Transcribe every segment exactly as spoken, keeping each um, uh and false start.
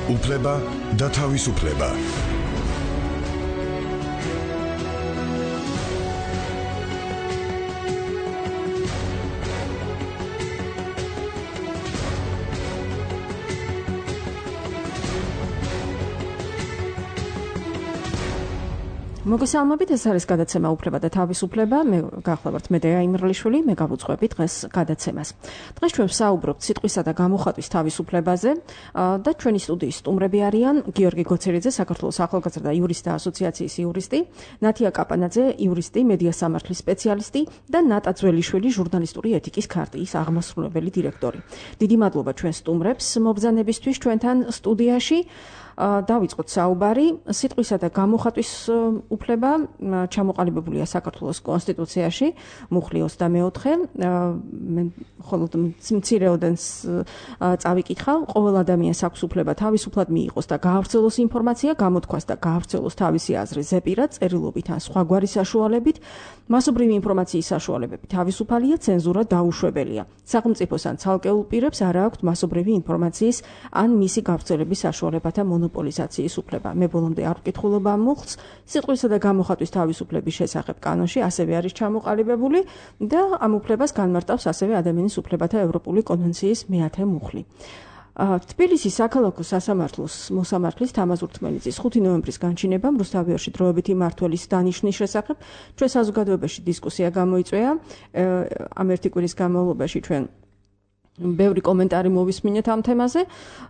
უფლება და თავისუფლება. მოგესალმებით, ეს არის გადაცემა უფლება და თავისუფლება. მე გახლავართ მედეა იმრლიშვილი, მე გავუძღვები დღეს გადაცემას. დღეს ჩვენ ვსაუბრობთ სიტყვისა და გამოხატვის თავისუფლებაზე და ჩვენი სტუდიის სტუმრები არიან გიორგი გოცერიძე, საქართველოს ახალგაზრდა იურისტთა ასოციაციის იურისტი, ნათია კაპანაძე, იურისტი, მედია სამართლის სპეციალისტი და ნატა ძველიშვილი, ჟურნალისტური ეთიკის ქარტიის აღმასრულებელი დირექტორი. დიდი მადლობა ჩვენ სტუმრებს მობრძანებისთვის ჩვენთან სტუდიაში. დავიწყოთ საუბარი. სიტყვისა და გამოხატვის უფლება ჩამოყალიბებულია საქართველოს კონსტიტუციაში, მუხლი ოცდამეოთხე. მე მხოლოდ მცირეოდენს წავიკითხავ. ყოველ ადამიანს აქვს უფლება თავისუფლად მიიღოს და გაავრცელოს ინფორმაცია, გამოთქვას და გაავრცელოს თავისი აზრი ზეპირად, წერილობით ან სხვაგვარი საშუალებით. მასობრივი ინფორმაციის საშუალებები თავისუფალია, ცენზურა დაუშვებელია. სახელმწიფოს ან ცალკეულ პირებს არ აქვთ მასობრივი ინფორმაციის ან მისი გავრცელების საშუალებათა მონოპოლიზაციის უფლება. მე ბოლომდე არ ვკითხულობ ამ მუხლს. სიტყვისა და გამოხატვის თავისუფლების შესახებ კანონში ასევე არის ჩამოყალიბებული და ამ უფლებას განმარტავს ასევე ადამიანის უფლებათა ევროპული კონვენციის მეათე მუხლი. თბილისის საქალაქო სასამართლოს მოსამართლის თამაზ ურთმელიძის ხუთი ნოემბრის განჩინებამ რუსთავიორში დროებითი მმართველის დანიშვნის შესახებ ჩვენ საზოგადოებაში დისკუსია გამოიწვია. ამ ერთი კვირის განმავლობაში ჩვენ ბევრი კომენტარი მოვისმინეთ ამ თემაზე.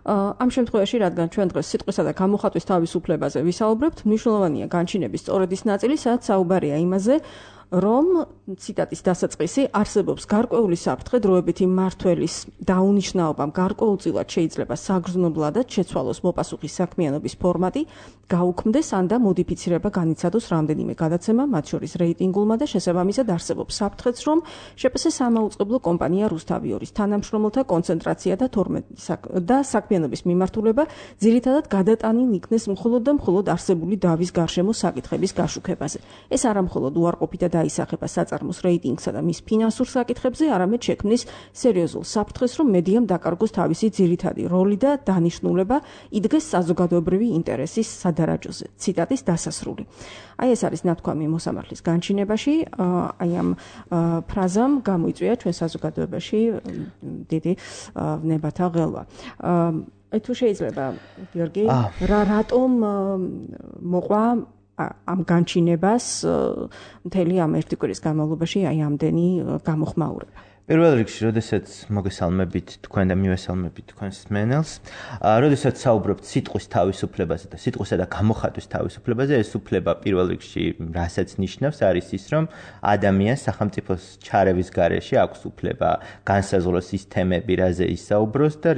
ამ შემთხვევაში, რადგან ჩვენ დღეს სიტყვისა და გამოხატვის თავისუფლებაზე ვისაუბრებთ, მნიშვნელოვანია განჩინების სწორედ ის ნაწილი, სადაც საუბარია იმაზე, რომ ციტატის დასაწყისი არსებობს გარკვეული საფრთხე დროებითი მმართველის დაუნიშნაობამ გარკვეულწილად შეიძლება საგრძნობლადად შეცვალოს მოპასუხის საქმიანობის ფორმატი, გაუქმდეს ან და მოდიფიცირება განიცადოს რამდენიმე გადაცემა, მათ შორის რეიტინგულმა და შესაბამისად არსებობს საფრთხეც, რომ შეპს სამაუწყებლო კომპანია რუსთავიორის თანამშრომელთა კონცენტრაცია და და საქმიანობის მიმართულება ძირითადად გადატანილ იქნეს მხოლოდ და მხოლოდ არსებული დავის გარშემო საკითხების გაშუქებაზე. ეს არა მხოლოდ უარყოფით და დაისახება საწარმოს რეიტინგსა და მის ფინანსურ საკითხებზე, არამედ შექმნის სერიოზულ საფრთხეს, რომ მედიამ დაკარგოს თავისი ძირითადი როლი და დანიშნულება, იდგეს საზოგადოებრივი ინტერესის სადარაჯოზე. ციტატის დასასრული. აი ეს არის ნათქვამი მოსამართლის განჩინებაში. აი ამ ფრაზამ გამოიწვია ჩვენ საზოგადოებაში დიდი ვნებათა ღელვა. აი თუ შეიძლება, გიორგი, რა რატომ მოყვა ამ განჩინებას მთელი ამ ერთი კვირის განმავლობაში აი ამდენი გამოხმაურება. პირველ რიგში, როდესაც მოგესალმებით თქვენ და მივესალმებით თქვენს მენელს, როდესაც საუბრობთ სიტყვის თავისუფლებაზე და სიტყვისა და გამოხატვის თავისუფლებაზე, ეს უფლება პირველ რიგში რასაც ნიშნავს, არის ის, რომ ადამიანს სახელმწიფოს ჩარევის გარეშე აქვს უფლება განსაზღვროს ის თემები, რაზე ისაუბროს და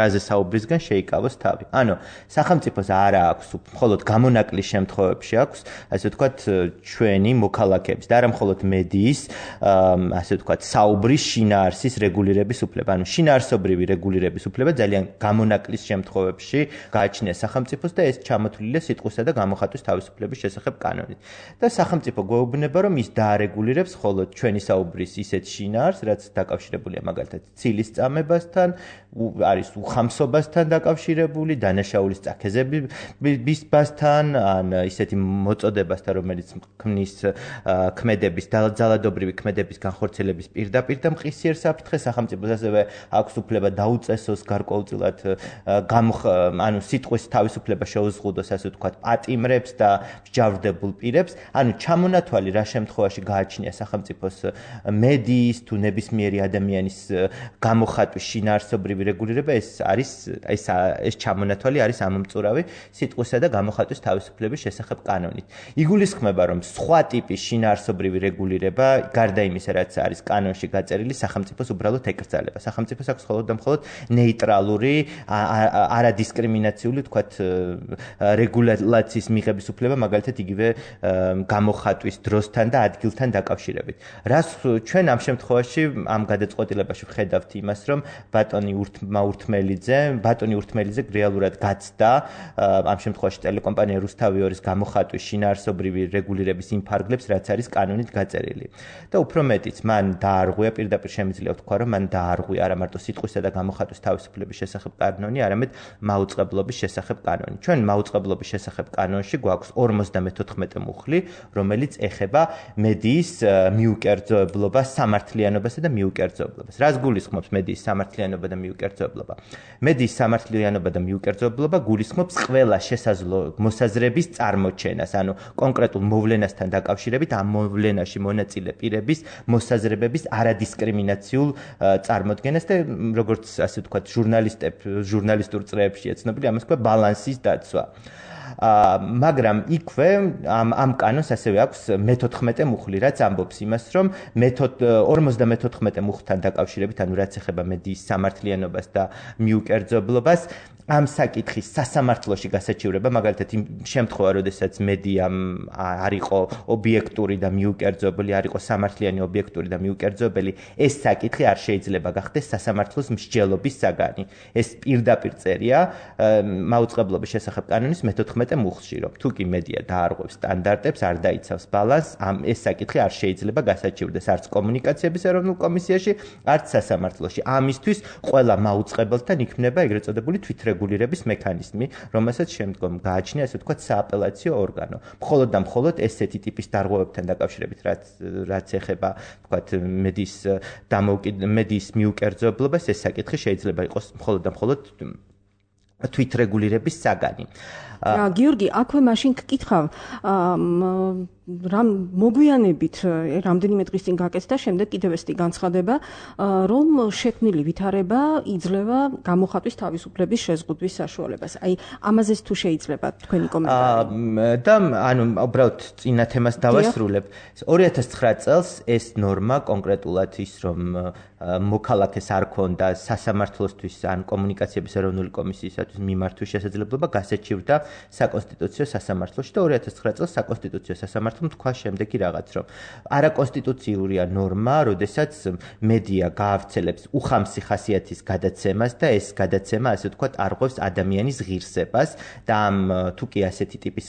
რაზე საუბრისგან შეიკავოს თავი. ანუ სახელმწიფოს არა აქვს მხოლოდ გამონაკლის შემთხვევებში აქვს, ასე ვთქვათ, ჩვენი მოქალაქეების და არა მხოლოდ მედიის, ასე ვთქვათ, საუბრის შინაარსის რეგულირების უფლება. ანუ შინაარსობრივი რეგულირების უფლება ძალიან გამონაკლის შემთხვევებში გააჩნია სახელმწიფოს და ეს ჩამოთვლილია სიტყვისა და გამოხატვის თავისუფლების შესახებ კანონით. და სახელმწიფო გვეუბნება, რომ ის დაარეგულირებს მხოლოდ ჩვენი საუბრის ისეთ შინაარსს, რაც დაკავშირებულია მაგალითად ცილის წამებასთან, არის უხამსობასთან დაკავშირებული, დანაშაულის წაქეზებისთან, ან ისეთი მოწოდებასთან, რომელიც ქმნის ქმედების, ძალადობრივი ქმედების განხორციელების პირდაპირ და მყისიერ საფრთხეს. სახელმწიფოს ასევე აქვს უფლება დაუწესოს გარკვეულწილად ანუ სიტყვის თავისუფლება შეუზღუდოს, ასე ვთქვათ, პატიმრებს და მსჯავრდებულ პირებს. ანუ ჩამონათვალი რა შემთხვევაში გააჩნია სახელმწიფოს მედიის თუ ნებისმიერი ადამიანის გამოხატვის შინაარსობრივი რეგულირება, ეს არის ეს ეს ჩამონათვალი არის ამომწურავი სიტყვისა და გამოხატვის თავისუფლების შესახებ კანონით. იგულისხმება, რომ სხვა ტიპის შინაარსობრივი რეგულირება, გარდა იმისა, რაც არის კანონში გაწერილი, სახელმწიფოს უბრალოდ ეკრძალება. სახელმწიფოს აქვს მხოლოდ და მხოლოდ ნეიტრალური, არადისკრიმინაციული, თქვათ, რეგულაციის მიღების უფლება, მაგალითად იგივე გამოხატვის დროსთან და ადგილთან დაკავშირებით. რას ჩვენ ამ შემთხვევაში ამ გადაწყვეტილებაში ვხედავთ იმას, რომ ბატონი ურთმელიძე, ბატონი ურთმელიძე რეალურად გაცდა ამ შემთხვევაში ტელეკომპანია რუსთავიორის გამოხატვის შინაარსობრივი რეგულირების იმ ფარგლებს, რაც არის კანონით გაწერილი. და უფრო მეტიც, მან დაარღვია დაარღვია პირდაპირ შემიძლია ვთქვა, რომ მან დაარღვია არა მარტო სიტყვისა და გამოხატვის თავისუფლების შესახებ კანონი, არამედ მაუწყებლობის შესახებ კანონი. ჩვენ მაუწყებლობის შესახებ კანონში გვაქვს ორმოცდამეთოთხმეტე მუხლი, რომელიც ეხება მედიის მიუკერძოებლობას, სამართლიანობასა და მიუკერძოებლობას. რას გულისხმობს მედიის სამართლიანობა და მიუკერძოებლობა? მედიის სამართლიანობა და მიუკერძოებლობა გულისხმობს ყველა შესაძლო მოსაზრების წარმოჩენას, ანუ კონკრეტულ მოვლენასთან დაკავშირებით ამ მოვლენაში მონაწილე პირების მოსაზრებების არადისკრიმინაციულ წარმოდგენას და როგორც ასე ვთქვათ, ჟურნალისტებ ჟურნალისტურ წრეებშია ცნობილი, ამას ქვია ბალანსის დაცვა. მაგრამ იქვე ამ ამ კანონს ასევე აქვს მეთოთხმეტე მუხლი, რაც ამბობს იმას, რომ ორმოცდამეთოთხმეტე მუხლთან დაკავშირებით, ანუ რაც ეხება მედიის სამართლიანობას და მიუკერძოებლობას, ამ საკითხის სასამართლოში გასაჩივრება, მაგალითად იმ შემთხვევა, როდესაც მედიამ არ იყო ობიექტური და მიუკერძოებელი, არ იყო სამართლიანი ობიექტური და მიუკერძოებელი, ეს საკითხი არ შეიძლება გახდეს სასამართლოს მსჯელობის საგანი. ეს პირდაპირ წერია მაუწყებლობის შესახებ კანონის მეთოთხმეტე მუხლში, რომ თუ კი მედია დაარღვევს სტანდარტებს, არ დაიცავს ბალანსს, ამ ეს საკითხი არ შეიძლება გასაჩივრდეს არც კომუნიკაციების ეროვნულ კომისიაში, არც სასამართლოში. ამისთვის ყველა მაუწყებელთან იქნება ეგრეთ წოდებული თვითრეგულირების მექანიზმი, რომელსაც შემდგომ გააჩნია, ასე ვთქვათ, სააპელაციო ორგანო. მხოლოდ და მხოლოდ ესეთი ტიპის დარღვევებთან დაკავშირებით, რაც რაც ეხება, ვთქვათ, მედიის მედიის მიუკერძოებლობას, ეს საკითხი შეიძლება იყოს მხოლოდ და მხოლოდ თვითრეგულირების საგანი. გიორგი, აქვე მაშინ გკითხავ, რამ მოგვიანებით რამდენიმე დღის წინ გაკეთდა, შემდეგ კიდევ ესეთი განცხადება, რომ შექმნილი ვითარება იძლევა გამოხატვის თავისუფლების შეზღუდვის საშუალებას. აი, ამაზეც თუ შეიძლება თქვენი კომენტარი. და ანუ უბრალოდ წინა თემას დავასრულებ. ორი ათას ცხრა წელს ეს ნორმა კონკრეტულად ის, რომ მოქალაქეს არ ქონდა სასამართლოსთვის ან კომუნიკაციების ეროვნული კომისიისათვის მიმართვის შესაძლებლობა გასაჩივრდა საკონსტიტუციო სასამართლოში და ორი ათას ცხრა წელს საკონსტიტუციო სასამართლომ თქვა შემდეგი რაღაც, რომ არაკონსტიტუციურია ნორმა, როდესაც მედია გაავრცელებს უხამსი ხასიათის გადაცემას და ეს გადაცემა, ასე ვთქვათ, არღვევს ადამიანის ღირსებას და ამ თუ კი ასეთი ტიპის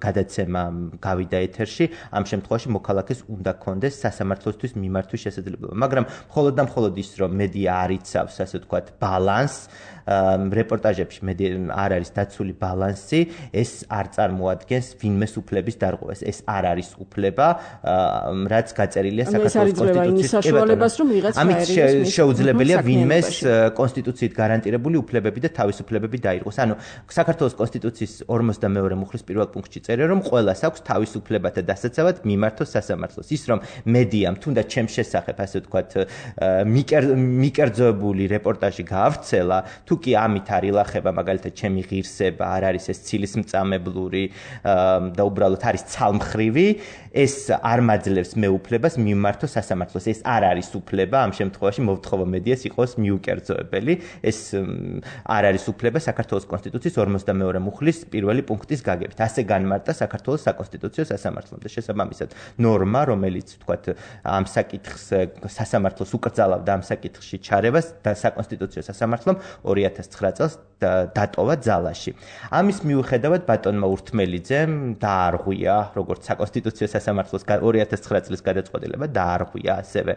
გადაცემა გავიდა ეთერში, ამ შემთხვევაში მოქალაქეს უნდა ქონდეს სასამართლოსთვის მიმართვის შესაძლებლობა. მაგრამ მხოლოდ და მხოლოდ ის, რომ მედია არ იცავს, ასე ვთქვათ, ბალანსს, რეპორტაჟებში არ არის დაცული ბალანსი, ეს არ წარმოადგენს ვინმეს უფლების დარღვევას. ეს არ არის უფლება, რაც გაწერილია საქართველოს კონსტიტუციაში. ამით შეუძლებელია ვინმეს კონსტიტუციით გარანტირებული უფლებები და თავისუფლებები დაირღვეს. ანუ საქართველოს კონსტიტუციის ორმოცდამეორე მუხლის პირველ პუნქტში წერია, რომ ყველას აქვს თავისუფლებათა დასაცავად მიმართოს სასამართლოს. ის რომ მედიამ თუნდაც ჩემს შესახებ, ასე ვთქვათ, მიკერძოებული რეპორტაჟი გაავრცელა, თუ კი ამით არ ილახება, მაგალითად, ჩემი ღირსება, არ არის ეს ცილისმწამებლური და უბრალოდ არის ცალმხრივი, ეს არ მაძლევს მე უფლებას მიმართო სასამართლოს. ეს არ არის უფლება, ამ შემთხვევაში მოვთხოვო მედიას იყოს მიუკერძოებელი. ეს არ არის უფლება საქართველოს კონსტიტუციის ორმოცდამეორე მუხლის პირველი პუნქტის გაგებით. ასე განმარტა საქართველოს საკონსტიტუციო სასამართლომ და შესაბამისად ნორმა, რომელიც ვთქვათ, ამ საკითხს სასამართლოს უკრძალავდა ამ საკითხში ჩარევას და საკონსტიტუციო სასამართლომ ორი ათას ცხრა წელს დატოვა ძალაში. ამის მიუხედავად ბატონმა ურთმელიძემ დაარღვია, როგორც საკონსტიტუციო სასამართლოს ორი ათას ცხრა წლის გადაწყვეტილება დაარღვია ასევე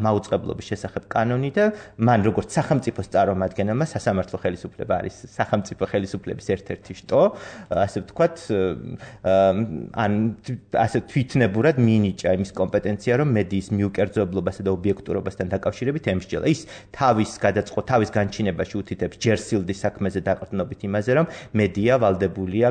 მაუწყებლობის შესახებ კანონი და მან როგორც სახელმწიფოს წარმომადგენელმა სასამართლო ხელისუფლება არის სახელმწიფო ხელისუფლების ერთ-ერთი შტო, ასე ვთქვათ, ან ასე თვითნებურად მიინიჭა იმის კომპეტენცია, რომ მედიის მიუკერძოებლობასა და ობიექტურობასთან დაკავშირებით ემსჯელა. ის თავის გადაწყო თავის განჩინებაში უთითებს ჯერსილდის საქმეზე დაყრდნობით იმაზე, რომ მედია ვალდებულია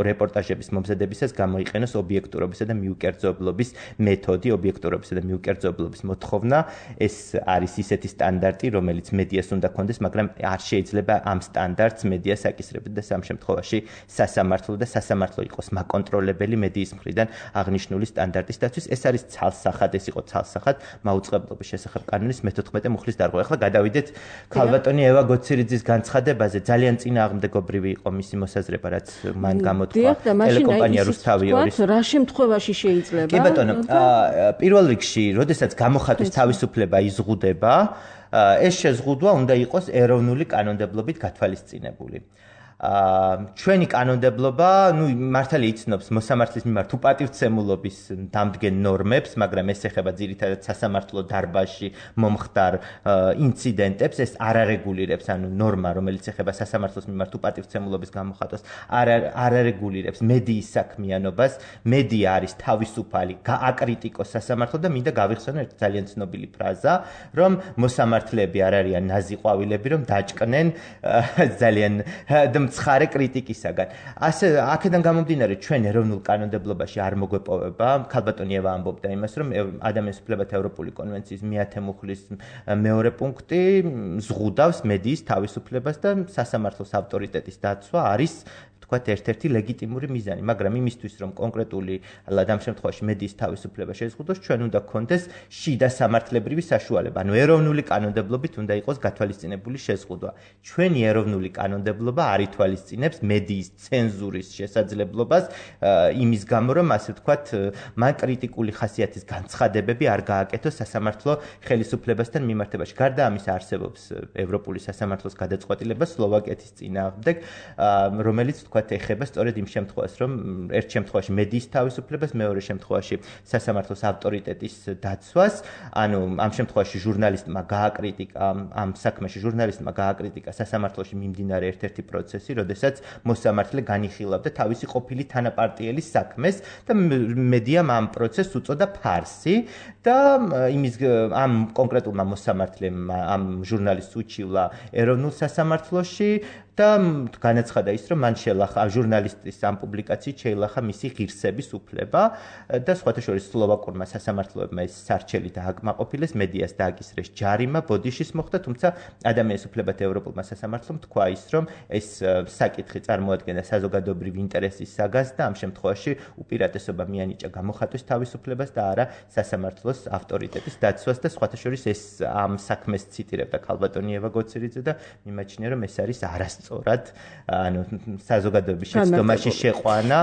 რეპორტაჟების მომზადებისას გამოიყენოს ობიექტურობისა და მიუკერძოებლობის მეთოდი, ობიექტურობისა და მიუკერძოებლობის მოთხოვნა. ეს არის ისეთი სტანდარტი, რომელიც მედიას უნდა ქონდეს, მაგრამ არ შეიძლება ამ სტანდარტს მედიას აკისრებდეს და ამ შემთხვევაში სასამართლო და სასამართლო იყოს მაკონტროლებელი მედიის მხრიდან აღნიშნული სტანდარტის დაცვის. ეს არის ცალსახად, ეს იყო ცალსახად მაუწყებლობის შესახებ კანონის მეთოთხმეტე მუხლის დარღვევა. ახლა გადავიდეთ ქალბატონი ევა გოცირიძის განცხადებაზე. ძალიან წინააღმდეგობრივი იყო მისი მოსაზრება, რაც მან გამოთქვა ტელეკომპანია რუსთავიორის. რა შემთხვევაში შეიძლება? კი ბატონო, პირველ რიგში, როდესაც გამოხატვის თავისუფლება იზღუდება, ეს შეზღუდვა უნდა იყოს ეროვნული კანონმდებლობით გათვალისწინებული. ჩვენი კანონმდებლობა, ну, მართალია იცნობს მოსამართლის მიმართ უპატივცემულობის დამდგენ ნორმებს, მაგრამ ეს ეხება ძირითადად სასამართლო დარბაზში მომხდარ ინციდენტებს, ეს არ არეგულირებს, ანუ ნორმა, რომელიც ეხება სასამართლოს მიმართ უპატივცემულობის გამოხატვას, არ არ არეგულირებს მედიის საქმიანობას. მედია არის თავისუფალი, აკრიტიკოს სასამართლო და მინდა გავიხსენო ერთ ძალიან ცნობილი ფრაზა, რომ მოსამართლეები არ არიან ნაზი ყვავილები, რომ დაჭკნენ ძალიან მცხარე კრიტიკისაგან. ასე აქედან გამომდინარე ჩვენ ეროვნულ კანონმდებლობაში არ მოგვეპოვება, ქალბატონი ევა ამბობდა იმას, რომ ადამიანის უფლებათა ევროპული კონვენციის მეათე მუხლის მეორე პუნქტი ზღუდავს მედიის თავისუფლებას და სასამართლოს ავტორიტეტის დაცვა არის თქვათ ერთ-ერთი ლეგიტიმური მიზანი, მაგრამ იმისთვის რომ კონკრეტული ამ შემთხვევაში მედიის თავისუფლება შეზღუდოს, ჩვენ უნდა გქონდეს შიდა სამართლებრივი საშუალება, ანუ ეროვნული კანონმდებლობით უნდა იყოს გათვალისწინებული შეზღუდვა. ჩვენი ეროვნული კანონმდებლობა არ ითვალისწინებს მედიის ცენზურის შესაძლებლობას იმის გამო, რომ ასე ვთქვათ, მან კრიტიკული ხასიათის განცხადებები არ გააკეთოს სასამართლო ხელისუფლებასთან მიმართებაში. გარდა ამისა არსებობს ევროპული სასამართლოს გადაწყვეტილება სლოვაკეთის წინააღმდეგ, რომელიც თქვათ ეხება სწორედ იმ შემთხვევას, რომ ერთ შემთხვევაში მედიის თავისუფლებას, მეორე შემთხვევაში სასამართლოს ავტორიტეტის დაცვას, ანუ ამ შემთხვევაში ჟურნალისტმა გააკრიტიკა ამ საქმეში ჟურნალისტმა გააკრიტიკა სასამართლოში მიმდინარე ერთ-ერთი პროცესი, როდესაც მოსამართლე განიხილავდა თავისი ყოფილი თანაპარტიელის საქმეს და მედიამ ამ პროცესს უწოდა ფარსი და იმის ამ კონკრეტულმა მოსამართლემ ამ ჟურნალისტს უჩივლა ეროვნულ სასამართლოში და განაცხადა ის, რომ მან შეელახა ჟურნალისტის ამ პუბლიკაციით შეელახა მისი ღირსების უფლება და სხვათა შორის სლოვაკურმა სასამართლოებმა ეს სარჩელი დააკმაყოფილეს, მედიას დააკისრეს ჯარიმა, ბოდიშის მოხდა, თუმცა ადამიანის უფლებათა ევროპულმა სასამართლომ თქვა ის, რომ ეს საკითხი წარმოადგენდა საზოგადოებრივი ინტერესის საგანს და ამ შემთხვევაში უპირატესობა მიანიჭა გამოხატვის თავისუფლებას და არა სასამართლოს ავტორიტეტის დაცვას და სხვათა შორის ეს ამ საქმეს ციტირებდა ქალბატონი ევა გოცერიძე და მიმაჩნია, რომ ეს არის არასწორი სწორად, ანუ საზოგადოების შეცდომაში შეყვანა.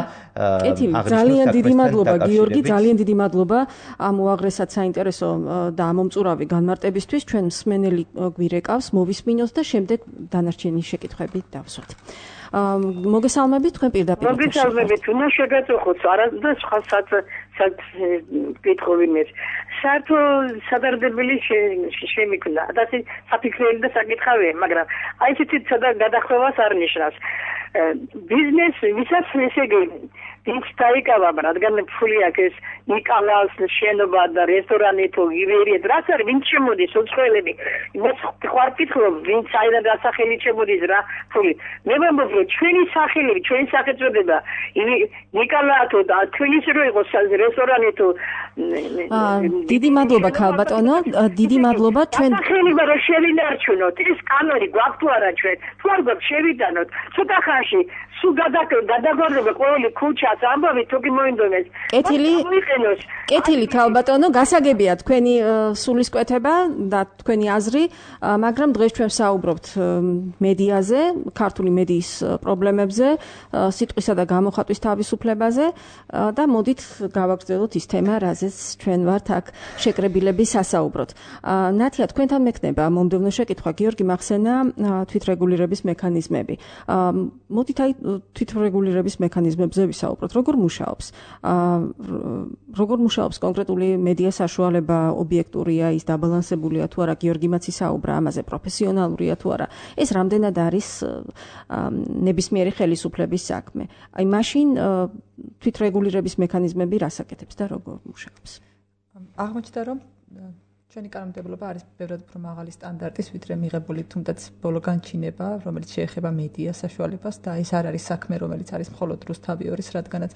ძალიან დიდი მადლობა გიორგი, ძალიან დიდი მადლობა ამ უაღრესად საინტერესო და ამომწურავი განმარტებისთვის. ჩვენ მსმენელი გვირეკავს, მოვისმინოთ და შემდეგ დანარჩენი შეკითხვები დავსვათ. მოგესალმებით, თქვენ პირდაპირ. მოგესალმებით, უნდა შეგაწუხოთ, არა და სხვა სად სად კითხოვინეს. საერთო სადარდებელი შემიქმნა. და საფიქრელი და საკითხავია, მაგრამ აი ესეთი გადახვევას არ ნიშნავს. ბიზნესი ვისაც ესე ვინც დაიკავა, რადგან ფული აქვს, ნიკალას შენობა და რესტორანი თუ ივერიეთ, რაც არის, ვინც შემოდის უცხოელები. მე ხوارკითხობ, ვინც აიდან დასახელი შემოდის რა ფული. მე ვამბობ, რომ ჩვენი სახელები, ჩვენი სახელწოდება, ნიკალა თუ და თქვენიც რო იყოს რესტორანი თუ დიდი მადლობა ქალბატონო, დიდი მადლობა ჩვენ სახელება რო შევინარჩუნოთ, ეს კანონი გვაქვს თუ არა ჩვენ. თუ არ გვაქვს შევიტანოთ, ცოტა ხანში სულ გადაგორდება ყოველი ქუჩას ამბავი თუ კი მოინდომეს. კეთილი კეთილი ქალბატონო, გასაგებია თქვენი სულისკვეთება და თქვენი აზრი, მაგრამ დღეს ჩვენ საუბრობთ მედიაზე, ქართული მედიის პრობლემებზე, სიტყვისა და გამოხატვის თავისუფლებაზე და მოდით გავაგრძელოთ ის თემა, რაზეც ჩვენ ვართ აქ შეკრებილები სასაუბროთ. ნათია, თქვენთან მექნება მომდევნო შეკითხვა, გიორგი მახსენა თვითრეგულირების მექანიზმები. მოდით აი თვითრეგულირების მექანიზმებზე ვისაუბროთ. როგორ მუშაობს? როგორ მუშაობს კონკრეტული მედია საშუალება, ობიექტურია, ის დაბალანსებულია თუ არა, გიორგი მაცი საუბრა ამაზე, პროფესიონალურია თუ არა. ეს რამდენად არის ნებისმიერი ხელისუფლების საქმე. აი მაშინ თვითრეგულირების მექანიზმები რას აკეთებს და როგორ მუშაობს? აღმოჩნდა, რომ ჩვენი კანონმდებლობა არის ბევრად უფრო მაღალი სტანდარტის, ვიდრე მიღებული თუნდაც ბოლო განჩინება, რომელიც შეეხება მედია საშუალებას და ეს არ არის საქმე, რომელიც არის მხოლოდ რუსთავიორის, რადგანაც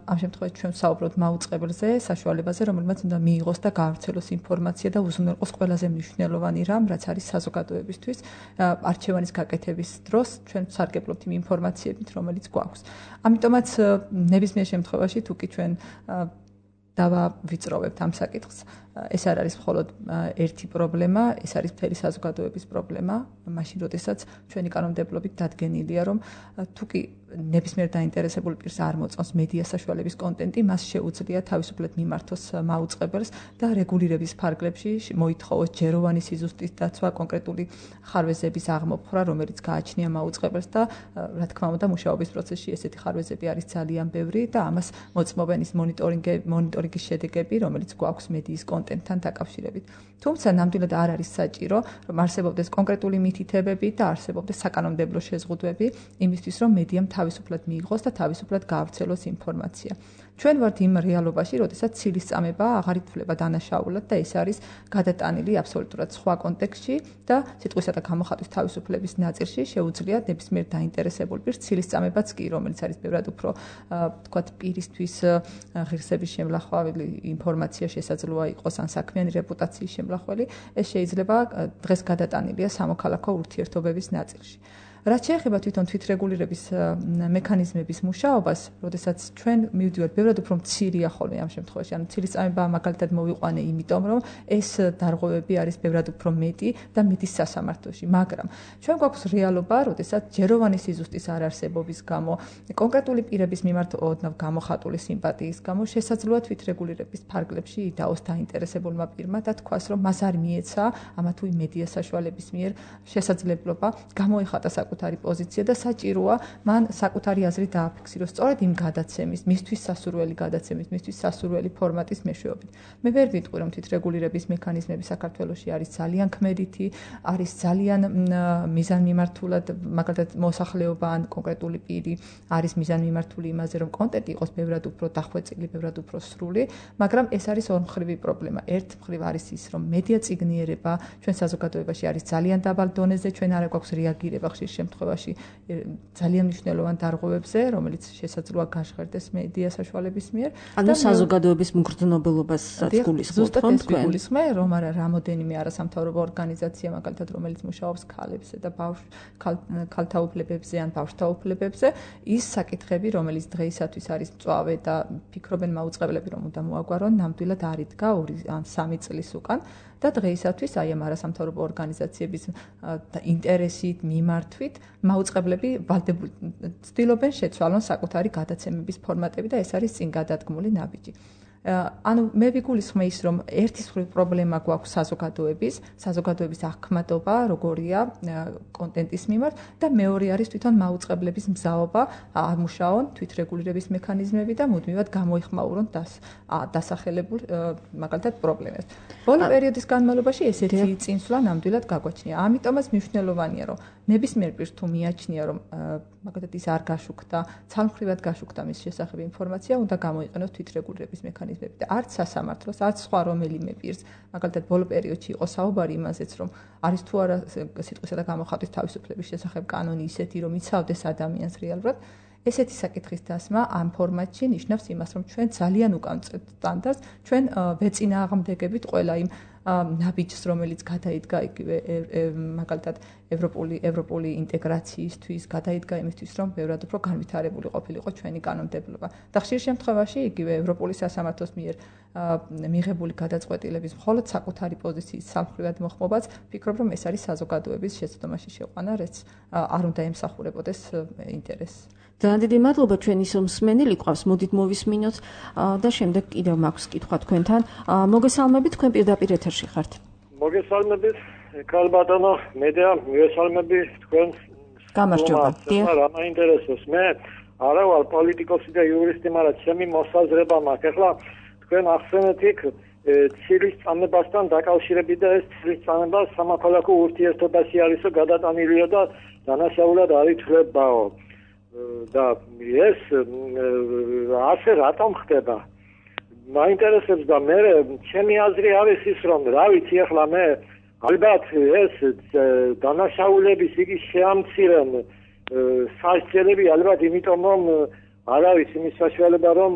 ამ შემთხვევაში ჩვენ ვსაუბრობთ მაუწყებელზე, საშუალებაზე, რომელმაც უნდა მიიღოს და გაავრცელოს ინფორმაცია და უზრუნველყოს ყველაზე მნიშვნელოვანი რამ, რაც არის საზოგადოებისთვის, არჩევანის გაკეთების დროს ჩვენ ვსარგებლობთ იმ ინფორმაციებით, რომელიც გვაქვს. ამიტომაც ნებისმიერ შემთხვევაში თუ კი ჩვენ დავავიწროვებთ ამ საკითხს. ეს არ არის მხოლოდ ერთი პრობლემა, ეს არის მთელი საზოგადოების პრობლემა, მაშინ როდესაც ჩვენი კანონმდებლობით დადგენილია, რომ თუ კი ნებისმიერ დაინტერესებულ პირს არ მოწონს მედია საშუალების კონტენტი, მას შეუძლია თავისუფლად მიმართოს მაუწყებელს და რეგულირების ფარგლებში მოითხოვოს ჯეროვანი სიზუსტის დაცვა, კონკრეტული ხარვეზების აღმოფხვრა, რომელიც გააჩნია მაუწყებელს და რა თქმა უნდა, მუშაობის პროცესში ესეთი ხარვეზები არის ძალიან ბევრი და ამას მოწმობენ ის მონიტორინგები, მონიტორინგის შედეგები, რომელიც გვაქვს მედიის კონტენტთან დაკავშირებით. თუმცა ნამდვილად არ არის საჭირო, რომ არსებობდეს კონკრეტული მითითებები და არსებობდეს საკანონმდებლო შეზღუდვები იმისთვის, რომ მედიამ თავისუფლად მიიღოს და თავისუფლად გაავრცელოს ინფორმაცია. ჩვენ ვართ იმ რეალობაში, როდესაც ცილისწამება აღარ ითვლება დანაშაულად და ეს არის გადატანილი აბსოლუტურად სხვა კონტექსტში და სიტყვისა და გამოხატვის თავისუფლების ნაწილში შეუძლია ნებისმიერ დაინტერესებულ პირს ცილისწამებაც კი, რომელიც არის ბევრად უფრო თქვათ პირისთვის ღირსების შემლახველი ინფორმაცია შესაძლოა იყოს ან საქმიანი რეპუტაციის შემლახველი, ეს შეიძლება დღეს გადატანილია სამოქალაქო ურთიერთობების ნაწილში. რაც შეეხება თვითონ თვითრეგულირების მექანიზმების მუშაობას, როდესაც ჩვენ მივდივართ ბევრად უფრო მცირეა ხოლმე ამ შემთხვევაში, ანუ ცილისწამება მაგალითად მოვიყვანე, იმიტომ რომ ეს დარღვევები არის ბევრად უფრო მეტი და მეტის სასამართლოში, მაგრამ ჩვენ გვაქვს რეალობა, როდესაც ჯეროვანი სიზუსტის არარსებობის გამო, კონკრეტული პირების მიმართ ოდნავ გამოხატული სიმპათიის გამო შესაძლოა თვითრეგულირების ფარგლებში იდაოს დაინტერესებულმა პირმა და თქვას, რომ მას არ მიეცა ამა თუ იმ მედია საშუალების მიერ შესაძლებლობა გამოეხატა საკუთარი პოზიცია და საჭიროა მან საკუთარი აზრი დააფიქსიროს სწორედ იმ გადაცემის, მისთვის სასურველი გადაცემის, მისთვის სასურველი ფორმატის მეშვეობით. მე ვერ ვიტყვი, რომ თვითრეგულირების მექანიზმები საქართველოში არის ძალიან ქმედითი, არის ძალიან მიზანმიმართულად, მაგალითად მოსახლეობა ან კონკრეტული პირი არის მიზანმიმართული იმაზე, რომ კონტენტი იყოს ბევრად უფრო დახვეწილი, ბევრად უფრო სრული, მაგრამ ეს არის ორმხრივი პრობლემა. ერთ მხრივ არის ის, რომ მედია წიგნიერება ჩვენ საზოგადოებაში არის ძალიან დაბალ დონეზე, ჩვენ არ გვაქვს რეაგირება ხშირ შემთხვევაში ძალიან მნიშვნელოვან დარღვევებზე, რომელიც შესაძლოა გაჟღერდეს მედია საშუალების მიერ. ანუ საზოგადოების მგრძნობელობასაც გულისხმობთ თქვენ? გულისხმე, რომ არა რამოდენიმე არასამთავრობო ორგანიზაცია, მაგალითად, რომელიც მუშაობს ქალებსა და ქალთა უფლებებზე ან ბავშვთა უფლებებზე, ის საკითხები, რომელიც დღეისათვის არის მწვავე და ფიქრობენ მაუწყებლები, რომ უნდა მოაგვარონ, ნამდვილად არ იდგა ორი ან სამი წლის უკან. და დღეისათვის აი ამ არასამთავრობო ორგანიზაციების ინტერესით, მიმართვით მაუწყებლები ვალდებულ ცდილობენ შეცვალონ საკუთარი გადაცემების ფორმატები და ეს არის წინ გადადგმული ნაბიჯი. ანუ მე ვიგულისხმე ის, რომ ერთის მხრივ პრობლემა გვაქვს საზოგადოების, საზოგადოების აღქმადობა, როგორია კონტენტის მიმართ და მეორე არის თვითონ მაუწყებლების მზაობა ამუშაონ თვითრეგულირების მექანიზმები და მუდმივად გამოიხმაურონ დასახელებულ მაგალითად პრობლემებს. ბოლო პერიოდის განმავლობაში ესეთი წინსვლა ნამდვილად გაგვაჩნია. ამიტომაც მნიშვნელოვანია, რომ ნებისმიერ პირს თუ მიაჩნია, რომ მაგალითად ის არ გაშუქდა, ცალმხრივად გაშუქდა მის შესახებ ინფორმაცია, უნდა გამოიყენოს თვითრეგულირების მექანიზმები და არც სასამართლოს, არც სხვა რომელიმე პირს, მაგალითად ბოლო პერიოდში იყო საუბარი იმაზეც, რომ არის თუ არა სიტყვისა და გამოხატვის თავისუფლების შესახებ კანონი ისეთი, რომ იცავდეს ადამიანს რეალურად, ესეთი საკითხის დასმა ამ ფორმატში ნიშნავს იმას, რომ ჩვენ ძალიან უკამწრეთ სტანდარტს, ჩვენ ვეწინააღმდეგებით ყველა იმ ნაბიჯს, რომელიც გადაიდგა იგივე მაგალითად ევროპული ევროპული ინტეგრაციისთვის, გადაიდგა იმისთვის, რომ ბევრად უფრო განვითარებული ყოფილიყო ჩვენი კანონმდებლობა. და ხშირ შემთხვევაში იგივე ევროპული სასამართლოს მიერ მიღებული გადაწყვეტილების მხოლოდ საკუთარი პოზიციის სამხრივად მოხმობაც, ვფიქრობ, რომ ეს არის საზოგადოების შეცდომაში შეყვანა, რაც არ უნდა ემსახურებოდეს ინტერესს. ძალიან დიდი მადლობა, ჩვენი მსმენელი ყავს, მოდით მოვისმინოთ და შემდეგ კიდევ მაქვს კითხვა თქვენთან. მოგესალმებით, თქვენ პირდაპირ ეთერში ხართ. მოგესალმებით, ქალბატონო, მედია, მოგესალმები თქვენ. გამარჯობა. რა მაინტერესებს მე? არა ვარ პოლიტიკოსი და იურისტი, მაგრამ ჩემი მოსაზრება მაქვს. ახლა თქვენ ახსენეთ იქ ცილისწამებასთან დაკავშირებით და ეს ცილისწამება სამოქალაქო ურთიერთობაში არისო გადატანილია და დანაშაულად არ ითვლებაო. და ეს ასე რატომ ხდება? მაინტერესებს და მე ჩემი აზრი არის ის, რომ რა ვიცი ახლა მე ალბათ ეს დანაშაულების იგი შეამცირენ სასჯელები ალბათ იმიტომ რომ არ არის იმის საშუალება რომ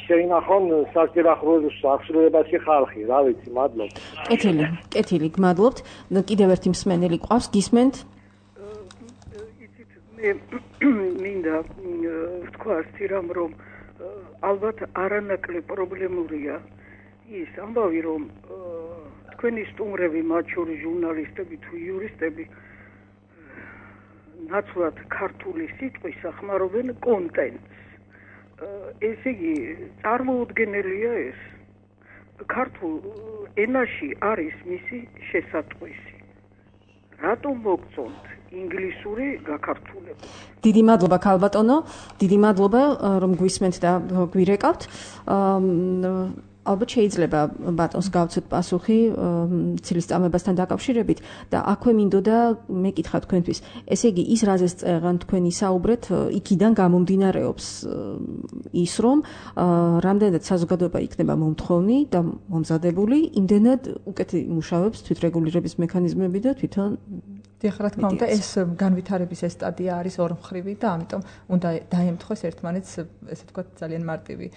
შეინახონ სასჯელახრულებაში ხალხი, რა ვიცი, მადლობა. კეთილი, კეთილი, გმადლობთ. კიდევ ერთი მსმენელი ყავს, გისმენთ? მინდა ვთქვა რამ, რომ ალბათ არანაკლებ პრობლემურია ის ამბავი რომ თქვენი სტუმრები მათ შორის ჟურნალისტები თუ იურისტები ნაცვლად ქართული სიტყვის ახმარობენ კონტენტს. ესე იგი წარმოუდგენელია ეს. ქართულ ენაში არის მისი შესატყვისი. რატომ მოგწონთ ინგლისური გაქართულება? დიდი მადლობა ქალბატონო, დიდი მადლობა რომ გვისმენთ და გვირეკავთ. ალბათ შეიძლება ბატონს გავცეთ პასუხი ცილისწამებასთან დაკავშირებით და აქვე მინდოდა მეკითხა თქვენთვის. ესე იგი ის რაზეც წერან თქვენი საუბრეთ, იქიდან გამომდინარეობს ის რომ რამდენად საზოგადოება იქნება მომთხოვნი და მომზადებული, იმდენად უკეთ იმუშავებს თვითრეგულირების მექანიზმები და თვითონ დიახ, რა თქმა უნდა, ეს განვითარების ეს სტადია არის ორმხრივი და ამიტომ უნდა დაემთხვეს ერთმანეთს, ესე ვთქვათ, ძალიან მარტივი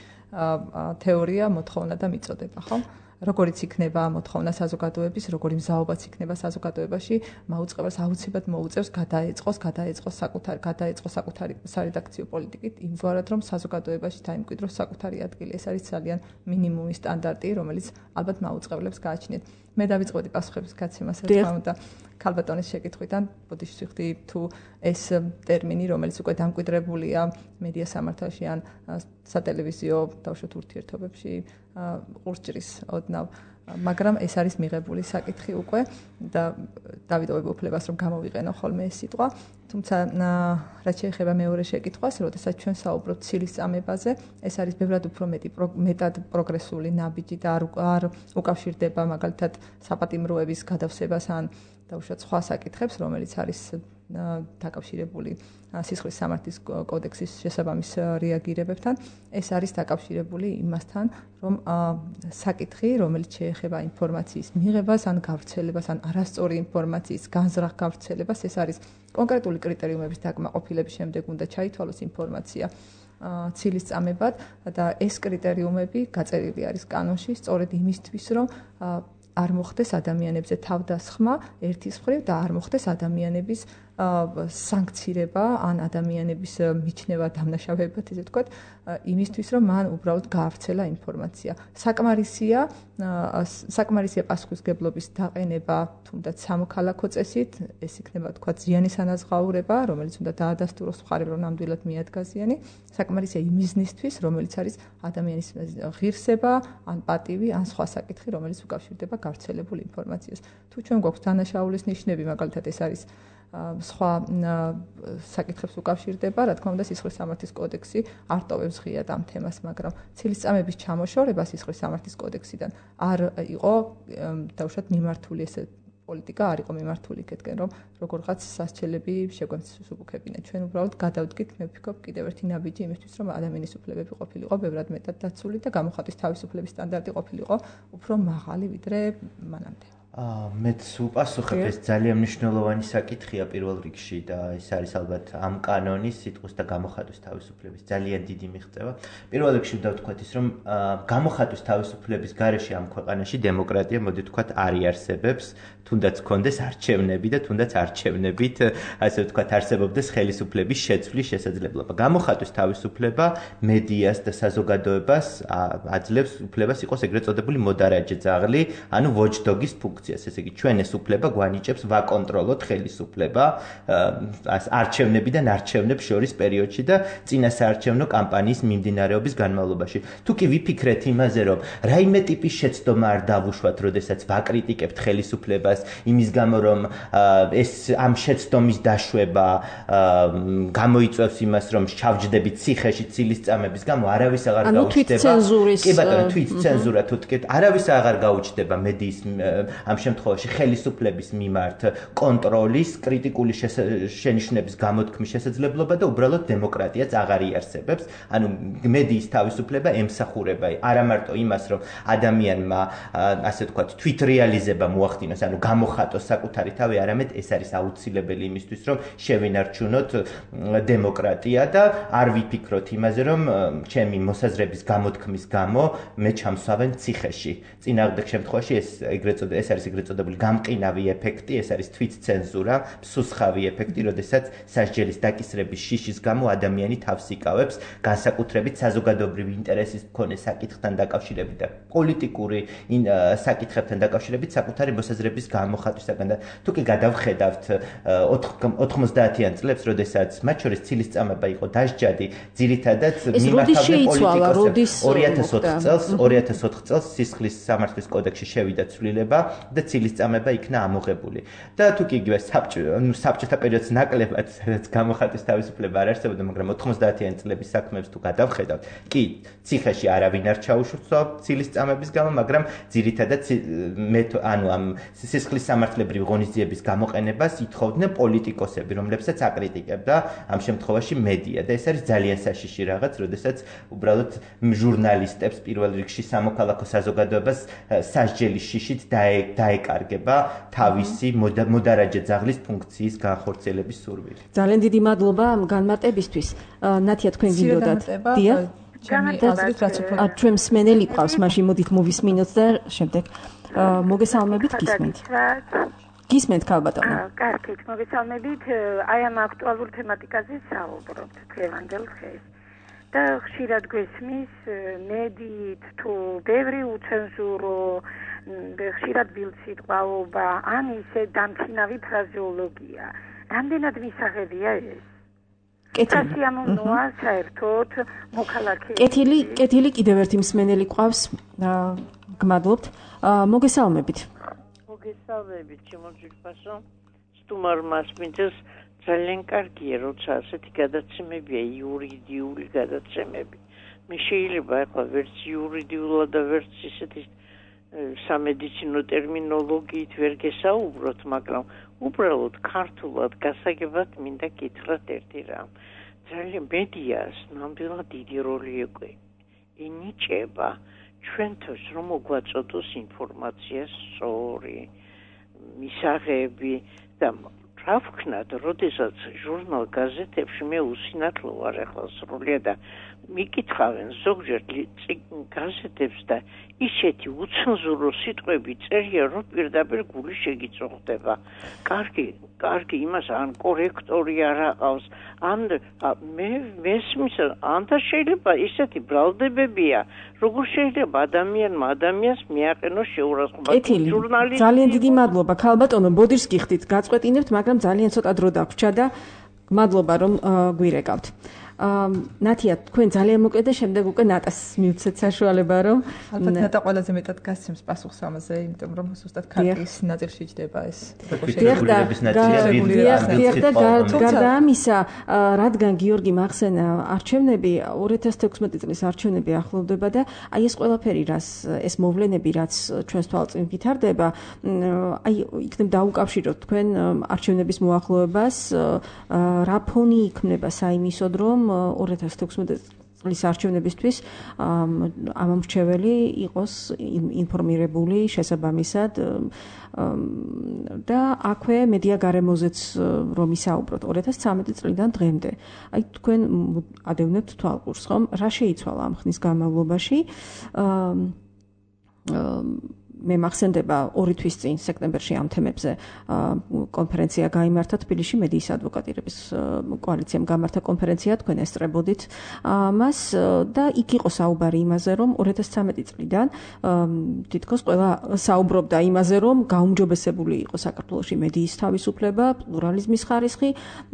თეორია, მოთხოვნა და მიწოდება, ხო? როგორიც იქნება მოთხოვნა საზოგადოების, როგორი მზაობაც იქნება საზოგადოებაში, მაუწყებელს აუცილებლად მოუწევს გადაეწყოს, გადაეწყოს საკუთარი, გადაეწყოს საკუთარი სარედაქციო პოლიტიკით, იმგვარად რომ საზოგადოებაში დაიმკვიდროს საკუთარი ადგილი. ეს არის ძალიან მინიმუმი სტანდარტი, რომელიც ალბათ მაუწყებლებს გააჩნიათ. მე დავიწყებდი პასუხების გაცემას, რა თქმა უნდა, ქალბატონის შეკითხვიდან, ბოდიში ვიხდი თუ ეს ტერმინი, რომელიც უკვე დამკვიდრებულია მედია სამართალში ან სატელევიზიო დავუშვათ ურთიერთობებში, ყურსჭრის ოდნავ, მაგრამ ეს არის მიღებული საკითხი უკვე და დავიტოვებ უფლებას რომ გამოვიყენო ხოლმე ეს სიტყვა. თუმცა რაც შეეხება მეორე შეკითხვას, როდესაც ჩვენ საუბრობთ ცილისწამებაზე, ეს არის ბევრად უფრო მეტი მეტად პროგრესული ნაბიჯი და არ უკავშირდება მაგალითად საპატიმროების გადავსებას ან დავუშვათ სხვა საკითხებს, რომელიც არის დაკავშირებული სისხლის სამართლის კოდექსის შესაბამის რეაგირებებთან. ეს არის დაკავშირებული იმასთან, რომ საკითხი, რომელიც შეეხება ინფორმაციის მიღებას ან გავრცელებას ან არასწორი ინფორმაციის განზრახ გავრცელებას, ეს არის კონკრეტული კრიტერიუმების დაკმაყოფილების შემდეგ უნდა ჩაითვალოს ინფორმაცია ცილისწამებად და ეს კრიტერიუმები გაწერილი არის კანონში სწორედ იმისთვის, რომ არ მოხდეს ადამიანებზე თავდასხმა ერთის მხრივ და არ მოხდეს ადამიანების სანქცირება ან ადამიანების მიჩნევა დამნაშავეებად, ესე ვთქვათ, იმისთვის, რომ მან უბრალოდ გაავრცელა ინფორმაცია. საკმარისია, საკმარისია პასუხისგებლობის დაყენება, თუნდაც სამოქალაქო წესით, ეს იქნება თქვათ ზიანის ანაზღაურება, რომელიც უნდა დაადასტუროს მხარემ, რომ ნამდვილად მიადგა ზიანი. საკმარისია იმ მიზნისთვის, რომელიც არის ადამიანის ღირსება, ან პატივი, ან სხვა საკითხი, რომელიც უკავშირდება გავრცელებულ ინფორმაციას. თუ ჩვენ გვაქვს დანაშაულის ნიშნები, მაგალითად ეს არის სხვა საკითხებს უკავშირდება, რა თქმა უნდა, სისხლის სამართლის კოდექსი არ ტოვებს ღიად ამ თემას, მაგრამ ცილისწამების ჩამოშორება სისხლის სამართლის კოდექსიდან არ იყო დავუშვათ მიმართული ესე პოლიტიკა არ იყო მიმართული იქეთკენ, რომ როგორღაც სასჯელები შეგვესუბუქებინა. ჩვენ უბრალოდ გადავდგით, მე ვფიქრობ, კიდევ ერთი ნაბიჯი იმისთვის, რომ ადამიანის უფლებები ყოფილიყო ბევრად მეტად დაცული და გამოხატვის თავისუფლების სტანდარტი ყოფილიყო უფრო მაღალი ვიდრე მანამდე. მეც უპასუხებ, ეს ძალიან მნიშვნელოვანი საკითხია პირველ რიგში და ეს არის ალბათ ამ კანონის სიტყვის და გამოხატვის თავისუფლების ძალიან დიდი მიღწევა. პირველ რიგში უნდა ვთქვათ ის, რომ გამოხატვის თავისუფლების გარეშე ამ ქვეყანაში დემოკრატია, მოდი ვთქვათ, არ იარსებებს, თუნდაც კონდეს არჩევნები და თუნდაც არჩევნებით, ასე ვთქვათ, არსებობდეს ხელისუფლების შეცვლის შესაძლებლობა. გამოხატვის თავისუფლება მედიას და საზოგადოებას აძლევს უფლებას იყოს ეგრეთ წოდებული მოდარაჯე ძაღლი, ანუ watchdog-ის ფუნქცია. ესე იგი, ჩვენ ეს უფლება გვანიჭებს ვაკონტროლოთ ხელისუფლება არჩევნებიდან არჩევნებს შორის პერიოდში და წინასაარჩევნო კამპანიის მიმდინარეობის განმავლობაში. თუ კი ვიფიქრეთ იმაზე, რომ რაიმე ტიპის შეცდომა არ დავუშვათ, როდესაც ვაკრიტიკებთ ხელისუფლებას, იმის გამო, რომ ეს ამ შეცდომის დაშვება გამოიწვევს იმას, რომ ჩავჯდებით ციხეში ცილისწამების გამო, არავის აღარ გაუჩნდება. კი ბატონო, თვითცენზურა თუ თქვით, არავის აღარ გაუჩნდება მედიის ამ შემთხვევაში ხელისუფლების მიმართ კონტროლის, კრიტიკული შენიშვნების გამოთქმის შესაძლებლობა და უბრალოდ დემოკრატიაც აღარ იარსებებს. ანუ მედიის თავისუფლება ემსახურება არა მარტო იმას, რომ ადამიანმა, ასე ვთქვათ, თვითრეალიზება მოახდინოს, ანუ გამოხატოს საკუთარი თავი, არამედ ეს არის აუცილებელი იმისთვის, რომ შევინარჩუნოთ დემოკრატია და არ ვიფიქროთ იმაზე, რომ ჩემი მოსაზრების გამოთქმის გამო მე ჩამსვავენ ციხეში. წინააღმდეგ შემთხვევაში ეს ეგრეთ წოდებული ეს არის არის ეგრეთ წოდებული გამყინავი ეფექტი, ეს არის თვითცენზურა, მსუსხავი ეფექტი, როდესაც სასჯელის დაკისრების შიშის გამო ადამიანი თავს იკავებს განსაკუთრებით საზოგადოებრივი ინტერესის მქონე საკითხთან დაკავშირებით და პოლიტიკური საკითხებთან დაკავშირებით საკუთარი მოსაზრების გამოხატვისაგან და თუ კი გადავხედავთ ოთხმოცდაათიან წლებს, როდესაც მათ შორის ცილისწამება იყო დასჯადი, ძირითადად მიმართავდნენ პოლიტიკოსებს. ორი ათას ოთხ წელს, ორი ათას ოთხ წელს სისხლის სამართლის კოდექსში შევიდა ცვლილება და ცილისწამება იქნა ამოღებული. და თუ კი იგივე საბჭოთა პერიოდს ნაკლებად, სადაც გამოხატვის თავისუფლება არ არსებობდა, მაგრამ ოთხმოცდაათიან წლების საქმეებს თუ გადავხედავთ, კი, ციხეში არავინ არ ჩაუშურცვა ცილისწამების გამო, მაგრამ ძირითადად ანუ ამ სისხლის სამართლებრივი ღონისძიების გამოყენებას ითხოვდნენ პოლიტიკოსები, რომლებსაც აკრიტიკებდა ამ შემთხვევაში მედია და ეს არის ძალიან საშიში რაღაც, როდესაც უბრალოდ ჟურნალისტებს პირველ რიგში სამოქალაქო საზოგადოებას სასჯელის შიშით დაეკარგება თავისი მოდარაჯე ძაღლის ფუნქციის განხორციელების სურვილი. ძალიან დიდი მადლობა განმარტებისთვის. ნათია, თქვენ გინდოდათ? დია? ჩვენ მსმენელი ყავს, მაშინ მოდით მოვისმინოთ და შემდეგ მოგესალმებით, გისმენთ. გისმენთ ქალბატონო. კარგით, მოგესალმებით. აი ამ აქტუალურ თემატიკაზე საუბრობთ დღევანდელ დღეს. და ხშირად გვესმის მედიით თუ ბევრი უცენზურო, ხშირად ბილსიტყვაობა, ან ისე დამთინავი ფრაზეოლოგია. რამდენად მისაღებია ეს? სასიამოვნოა საერთოდ მოქალაქეები. კეთილი, კეთილი კიდევ ერთი მსმენელი ყავს. გმადლობთ. მოგესალმებით. მოგესალმებით, შემოგვიყვასო. სტუმარ მასპინძელს ძალიან კარგია, როცა ასეთი გადაცემებია, იურიდიული გადაცემები. მე შეიძლება ახლა ვერც იურიდიულად და ვერც ისეთი სამედიცინო ტერმინოლოგიით ვერ გესაუბროთ, მაგრამ უბრალოდ ქართულად გასაგებად მინდა გითხრათ ერთი რამ. ძალიან მედიას ნამდვილად დიდი როლი ენიჭება ჩვენთვის, რომ მოგვაწოდოს ინფორმაცია სწორი, მისაღები და რა ვქნათ, როდესაც ჟურნალ გაზეთებში მე უსინათლო ვარ ახლა სრულიად და მიკითხავენ ზოგჯერ გაზეთებს და ისეთი უცენზურო სიტყვები წერია, რომ პირდაპირ გული შეგიწოხდება. კარგი, კარგი იმას ან კორექტორი არ აყავს, ან მე მესმის, ან და შეიძლება ისეთი ბრალდებებია, როგორ შეიძლება ადამიანმა ადამიანს მიაყენოს შეურაცხყოფა. ჟურნალისტი. ძალიან დიდი მადლობა, ქალბატონო, ბოდიშს გიხდით, გაწყვეტინებთ, მაგრამ ძალიან ცოტა დრო დაგვრჩა და მადლობა რომ გვირეკავთ. ნათია, თქვენ ძალიან მოკლედ და შემდეგ უკვე ნატას მივცეთ საშუალება, რომ ალბათ ნატა ყველაზე მეტად გასცემს პასუხს ამაზე, იმიტომ რომ ზუსტად ქარტიის ნაწილში ჯდება ეს. გარდა ამისა, რადგან გიორგი მახსენა არჩევნები ორი ათას თექვსმეტი წლის არჩევნები ახლოვდება და აი ეს ყველაფერი, რას ეს მოვლენები, რაც ჩვენს თვალწინ ვითარდება, აი იქნებ დაუკავშიროთ თქვენ არჩევნების მოახლოებას, რა ფონი იქმნება საიმისოდ, რომ ორი ათას თექვსმეტი წლის არჩევნებისთვის ამომრჩეველი იყოს ინფორმირებული შესაბამისად და აქვე მედია გარემოზეც რომ ისაუბროთ ორი ათას ცხრამეტი წლიდან დღემდე. აი თქვენ ადევნებთ თვალყურს, ხომ? რა შეიცვალა ამ ხნის განმავლობაში? მე მახსენდება ორი თვის წინ სექტემბერში ამ თემებზე კონფერენცია გაიმართა თბილისში მედიის ადვოკატირების კოალიციამ გამართა კონფერენცია, თქვენ ესწრებოდით მას და იქ იყო საუბარი იმაზე, რომ ორი ათას ცხრამეტი წლიდან თითქოს ყველა საუბრობდა იმაზე, რომ გაუმჯობესებული იყო საქართველოში მედიის თავისუფლება, პლურალიზმის ხარისხი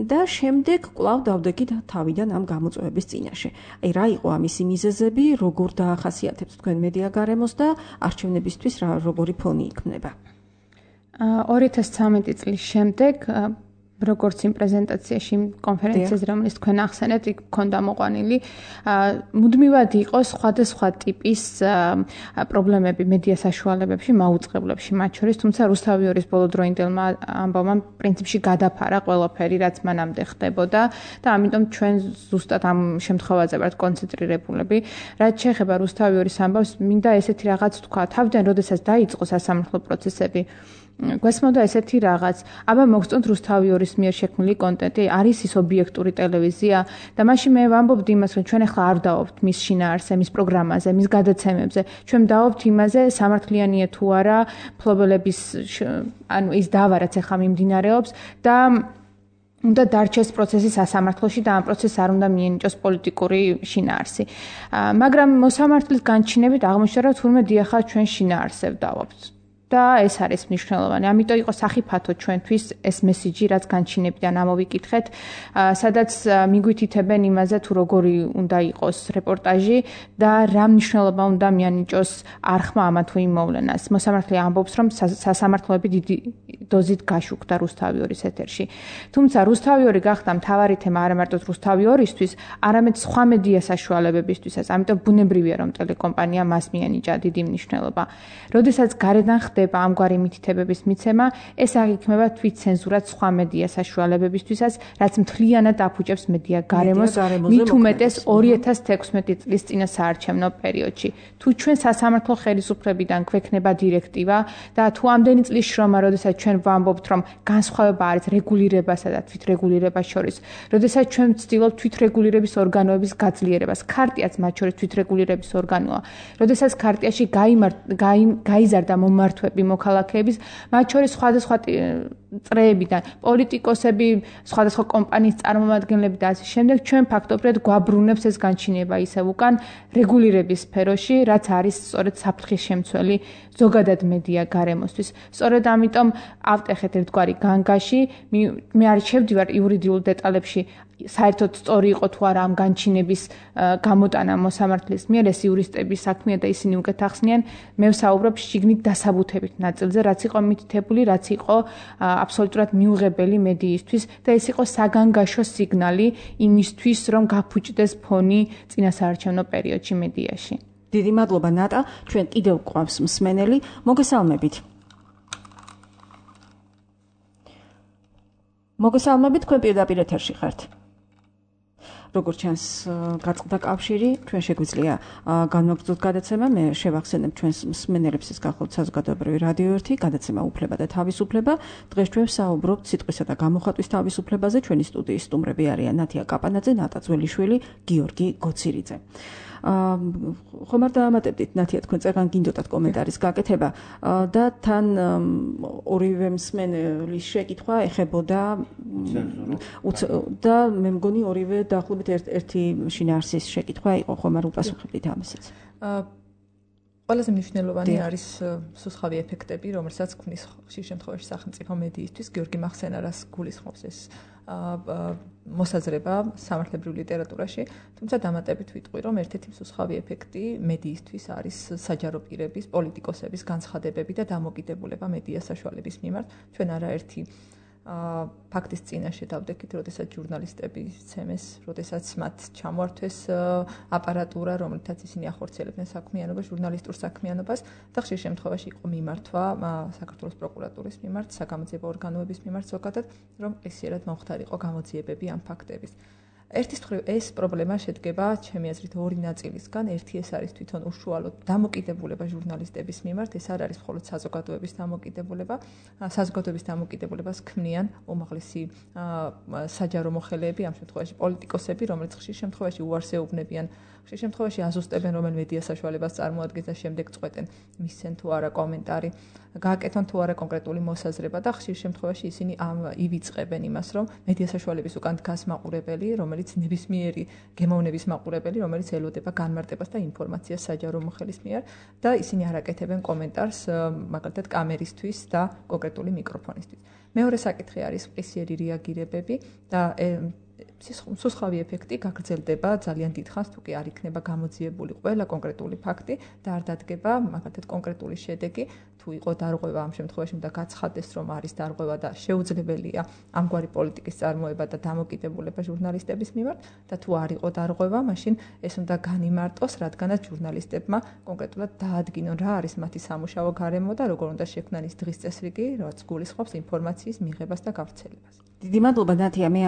და შემდეგ კვლავ დავდეგით თავიდან ამ გამოწვევების წინაშე. აი რა იყო ამისი მიზეზები, როგორ დაახასიათებთ თქვენ მედია გარემოს და არჩევნებისთვის რა როგორი ფონი იქმნება? ორი ათას ცხრამეტი წლის შემდეგ, როგორც იმ პრეზენტაციაში, კონფერენციაზე, რომელიც თქვენ ახსენეთ, იქ ქონდა მოყვანილი, მუდმივად იყო სხვადასხვა ტიპის პრობლემები მედია საშუალებებში, მაუწყებლებში, მათ შორის, თუმცა რუსთავიორის ბოლოდროინდელმა ამბავმა პრინციპში გადაფარა ყველაფერი, რაც მანამდე ხდებოდა და ამიტომ ჩვენ ზუსტად ამ შემთხვევაზე ვართ კონცენტრირებულები. რაც შეეხება რუსთავიორის ამბავს, მინდა ესეთი რაღაც თქვა, თავიდან როდესაც დაიწყო სასამართლო პროცესები გვესმოდა ესეთი რაღაც, აბა მოგწონთ რუსთავიორის მიერ შექმნილი კონტენტი, არის ის ობიექტური ტელევიზია და მაშინ მე ვამბობდი იმას, რომ ჩვენ ახლა არ დავობთ მის შინაარსზე, მის პროგრამაზე, მის გადაცემებზე, ჩვენ დავობთ იმაზე, სამართლიანია თუ არა, მფლობელების ანუ ის დავა რაც ახლა მიმდინარეობს და უნდა დარჩეს პროცესი სასამართლოში და ამ პროცესს არ უნდა მიენიჭოს პოლიტიკური შინაარსი. მაგრამ მოსამართლის განჩინებით აღმოჩნდა, რომ თურმე დიახა ჩვენ შინაარსზე ვდავობთ. და ეს არის მნიშვნელოვანი. ამიტომ იყო სახიფათო ჩვენთვის ეს მესიჯი, რაც განჩინებიდან ამოვიკითხეთ, სადაც მიგვითითებენ იმაზე, თუ როგორი უნდა იყოს რეპორტაჟი და რა მნიშვნელობა უნდა მიანიჭოს არხმა ამა თუ იმ მოვლენას. მოსამართლე ამბობს, რომ სასამართლოები დიდი დოზით გაშუქდა რუსთავიორის ეთერში. თუმცა რუსთავიორი გახდა მთავარი თემა არა მარტო რუსთავიორისთვის, არამედ სხვა მედია საშუალებებისთვისაც. ამიტომ ბუნებრივია, რომ ტელეკომპანია მას მიანიჭა დიდი მნიშვნელობა. როდესაც გარედან ხდება ამგვარი მითითებების მიცემა, ეს აღიქმება თვითცენზურად სხვა მედია საშუალებებისთვისაც, რაც მთლიანად აფუჭებს მედია გარემოს, მით უმეტეს ორი ათას თექვსმეტი წლის წინა საარჩევნო პერიოდში. თუ ჩვენ სასამართლო ხელისუფლებიდან გვექნება დირექტივა და თუ ამდენი წლის შრომა, როდესაც ჩვენ ვამბობთ, რომ განსხვავება არის რეგულირებასა და თვითრეგულირებას შორის, როდესაც ჩვენ ვცდილობთ თვითრეგულირების ორგანოების გაძლიერებას, ქარტიაც მათ შორის თვითრეგულირების ორგანოა, როდესაც ქარტიაში გაიზარდა მომართვები მოქალაქეების, მათ შორის სხვადასხვა წრეებიდან, პოლიტიკოსები, სხვადასხვა კომპანიის წარმომადგენლები და ასე შემდეგ, ჩვენ ფაქტობრივად გვაბრუნებს ეს განჩინება ისევ უკან რეგულირების სფეროში, რაც არის სწორედ საფრთხის შემცველი ზოგადად მედია გარემოსთვის. სწორედ ამიტომ ავტეხეთ ერთგვარი განგაში, მე არ შევდივარ იურიდიულ დეტალებში, საერთოდ სწორი იყო თუ არა ამ განჩინების გამოტანა მოსამართლის მიერ, ეს იურისტების საქმეა და ისინი უკეთ ახსნიან. მე ვსაუბრობ შიგნით დასაბუთებით ნაწილზე, რაც იყო მითითებული, რაც იყო აბსოლუტურად მიუღებელი მედიისთვის და ეს იყო საგანგაშო სიგნალი იმისთვის, რომ გაფუჭდეს ფონი წინასაარჩევნო პერიოდში მედიაში. დიდი მადლობა ნატა, ჩვენ კიდევ გვყავს მსმენელი, მოგესალმებით. მოგესალმებით, თქვენ პირდაპირ ეთერში ხართ. როგორც ჩანს გაწყდა კავშირი, ჩვენ შეგვიძლია განვაგრძელოთ გადაცემა. მე შევახსენებ ჩვენს მსმენელებს, ეს გახლავთ საზოგადოებრივი რადიო ერთი, გადაცემა უფლება და თავისუფლება. დღეს ჩვენ ვსაუბრობთ სიტყვისა და გამოხატვის თავისუფლებაზე. ჩვენი სტუდიის სტუმრები არიან ნათია კაპანაძე, ნატა ძველიშვილი, გიორგი გოცირიძე. ხომ არ დაამატებდით ნათია, თქვენ წერან გინდოდათ კომენტარის გაკეთება და თან ორივე მსმენელის შეკითხვა ეხებოდა და მე მგონი ორივე დაახლოებით ერთი შინაარსის შეკითხვა იყო, ხომ არ უპასუხებდით ამასაც. ყველაზე მნიშვნელოვანი არის სუსხავი ეფექტები, რომელსაც ქმნის ხშირ შემთხვევაში სახელმწიფო მედიისთვის. გიორგი მახსენარას გულისხმობს ეს მოსაზრება სამართლებრივ ლიტერატურაში, თუმცა დამატებით ვიტყვი, რომ ერთ-ერთი მსუსხავი ეფექტი მედიისთვის არის საჯარო პირების, პოლიტიკოსების განცხადებები და დამოკიდებულება მედია საშუალების მიმართ. ჩვენ არაერთი ფაქტის წინაშე დავდექით, როდესაც ჟურნალისტები ცემეს, როდესაც მათ ჩამოართვეს აპარატურა, რომელთაც ისინი ახორციელებდნენ საქმიანობას, ჟურნალისტურ საქმიანობას და ხშირ შემთხვევაში იყო მიმართვა საქართველოს პროკურატურის მიმართ, საგამოძიებო ორგანოების მიმართ ზოგადად, რომ ესიერად მომხდარიყო გამოძიებები ამ ფაქტების. ერთის მხრივ ეს პრობლემა შედგება ჩემი აზრით ორი ნაწილისგან. ერთი ეს არის თვითონ უშუალოდ დამოკიდებულება ჟურნალისტების მიმართ, ეს არ არის მხოლოდ საზოგადოების დამოკიდებულება. საზოგადოების დამოკიდებულებას ქმნიან უმაღლესი საჯარო მოხელეები, ამ შემთხვევაში პოლიტიკოსები, რომელიც ხშირ შემთხვევაში უარს ეუბნებიან, ხშირ შემთხვევაში აზუსტებენ, რომელ მედია საშუალებას წარმოადგენს და შემდეგ წყვეტენ მისცენ თუ არა კომენტარი, გააკეთონ თუ არა კონკრეტული მოსაზრება და ხშირ შემთხვევაში ისინი ივიწყებენ იმას, რომ მედია საშუალების უკან დგას მაყურებელი, რომელიც ნებისმიერი გემოვნების მაყურებელი, რომელიც ელოდება განმარტებას და ინფორმაციას საჯარო მოხელის მიერ და ისინი არ აკეთებენ კომენტარს მაგალითად კამერისთვის და კონკრეტული მიკროფონისთვის. მეორე საკითხი არის ყისიერი რეაგირებები და სუსხავი ეფექტი გაგრძელდება ძალიან დიდხანს, თუ კი არ იქნება გამოძიებული ყველა კონკრეტული ფაქტი და არ დადგება მაგალითად კონკრეტული შედეგი, თუ იყო დარღვევა ამ შემთხვევაში უნდა გაცხადდეს, რომ არის დარღვევა და შეუძლებელია ამგვარი პოლიტიკის წარმოება და დამოკიდებულება ჟურნალისტების მიმართ და თუ არ იყო დარღვევა, მაშინ ეს უნდა განიმარტოს, რადგანაც ჟურნალისტებმა კონკრეტულად დაადგინონ რა არის მათი სამუშაო გარემო და როგორ უნდა შექმნან ის დღის წესრიგი, რაც გულისხმობს ინფორმაციის მიღებას და გავრცელებას. დიდი მადლობა ნათია, მე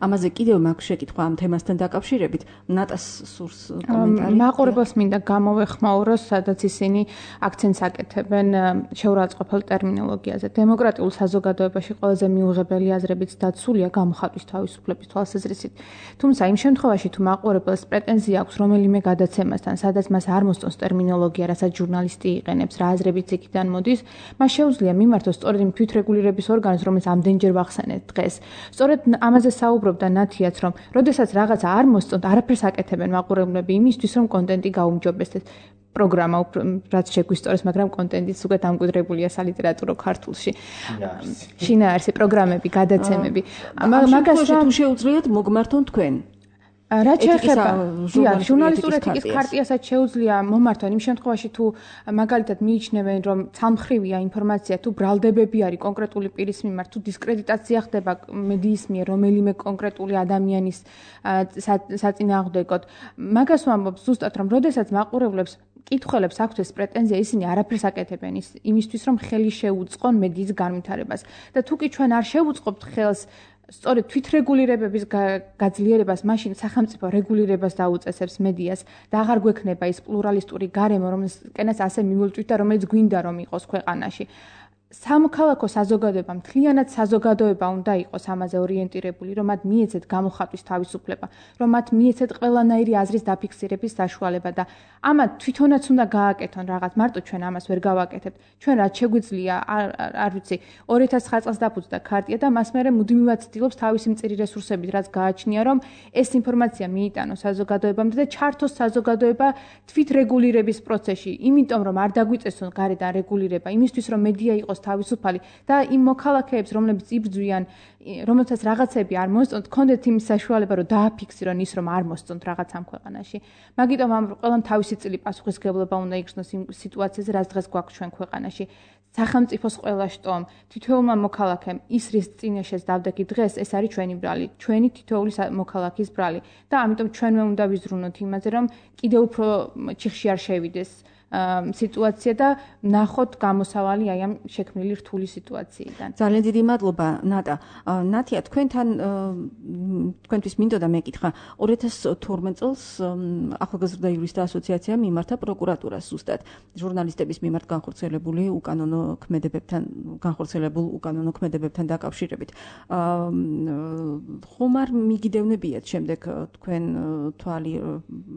ამაზე კიდევ მაქვს შეკითხვა ამ თემასთან დაკავშირებით. ნატას სურს კომენტარი. მაყურებელს მინდა გამოვეხმაურო, სადაც ისინი აქცენტს აკეთებენ შეურაცხყოფელ ტერმინოლოგიაზე. დემოკრატიულ საზოგადოებაში ყველაზე მიუღებელი აზრებიც დაცულია გამოხატვის თავისუფლების თვალსაზრისით. თუმცა იმ შემთხვევაში თუ მაყურებელს პრეტენზია აქვს რომელიმე გადაცემასთან, სადაც მას არ მოსწონს ტერმინოლოგია, რასაც ჟურნალისტი იყენებს, რა აზრებიც იქიდან მოდის, მას შეუძლია მიმართოს სწორედ იმ თვითრეგულირების ორგანოს, რომელიც ამდენჯერ ვახსენეთ დღეს. სწორედ ამაზე საუბრობდა ნათიაც, რომ როდესაც რაღაცა არ მოსწონთ, არაფერს აკეთებენ მაყურებლები იმისთვის, რომ კონტენტი გაუმჯობესდეს. პროგრამა რაც შეგვისწორეს, მაგრამ კონტენტიც უკვე დამკვიდრებულია სალიტერატურო ქართულში. შინაარსი პროგრამები, გადაცემები. მაგას თუ შეუძლიათ მოგმართონ თქვენ. რაც შეეხება ჟურნალისტური ეთიკის ქარტიასაც შეუძლია მომართონ იმ შემთხვევაში თუ მაგალითად მიიჩნევენ რომ ცალმხრივია ინფორმაცია თუ ბრალდებები არის კონკრეტული პირის მიმართ თუ დისკრედიტაცია ხდება მედიის მიერ რომელიმე კონკრეტული ადამიანის საწინააღმდეგოდ მაგას ვამბობ ზუსტად რომ როდესაც მაყურებლებს კითხველებს აქვთ ეს პრეტენზია ისინი არაფერს აკეთებენ იმისთვის რომ ხელი შეუწყონ მედიის განვითარებას და თუ კი ჩვენ არ შევუწყობთ ხელს სწორედ თვითრეგულირებების გაძლიერებას მაშინ სახელმწიფო რეგულირებას დაუწესებს მედიას და აღარ გვექნება ის პლურალისტური გარემო რომელსაც ასე მივლწვით და რომელიც გვინდა რომ იყოს ქვეყანაში სამოქალაქო საზოგადოება მთლიანად საზოგადოება უნდა იყოს ამაზე ორიენტირებული რომ მათ მიეცეთ გამოხატვის თავისუფლება რომ მათ მიეცეთ ყველანაირი აზრის დაფიქსირების საშუალება და ამათ თვითონაც უნდა გააკეთონ რაღაც მარტო ჩვენ ამას ვერ გავაკეთებთ ჩვენ რაც შეგვიძლია არ ვიცი ორი ათას ცხრა წელს დაფუძნდა ქარტია და მას მერე მუდმივად ცდილობს თავისი მწირი რესურსებით რაც გააჩნია რომ ეს ინფორმაცია მიიტანოს საზოგადოებამდე და ჩართოს საზოგადოება თვითრეგულირების პროცესში იმიტომ რომ არ დაგვიწესონ გარედან რეგულირება იმისთვის რომ მედია იყოს თავისუფალი და იმ მოქალაქეებს რომლებიც იბრძვიან რომელთაც რაღაცები არ მოსწონთ კონდეთ იმის საშუალება რომ დააფიქსირონ ის რომ არ მოსწონთ რაღაც ამ ქვეყანაში მაგიტომ ამ ყველამ თავისი წილი პასუხისგებლობა უნდა იგრძნოს იმ სიტუაციაზე რაც დღეს გვაქვს ჩვენ ქვეყანაში სახელმწიფოს ყველა შტომ თითოეულმა მოქალაქემ ის რის წინაშეც დავდექით დღეს ეს არის ჩვენი ბრალი ჩვენი თითოეული მოქალაქის ბრალი და ამიტომ ჩვენმე უნდა ვიზრუნოთ იმაზე რომ კიდევ უფრო ჩიხში არ შევიდეს სიტუაცია და ნახოთ გამოსავალი აი ამ შექმნილი რთული სიტუაციიდან. ძალიან დიდი მადლობა ნატა. ნათია თქვენთან თქვენთვის მინდოდა მეკითხა ორი ათას თორმეტ წელს ახალგაზრდა იურისტთა ასოციაციამ მიმართა პროკურატურას ზუსტად ჟურნალისტების მიმართ განხორციელებული უკანონო ქმედებებთან განხორციელებულ უკანონო ქმედებებთან დაკავშირებით. ხომ არ მიგიდევნებიათ შემდეგ თქვენ თვალი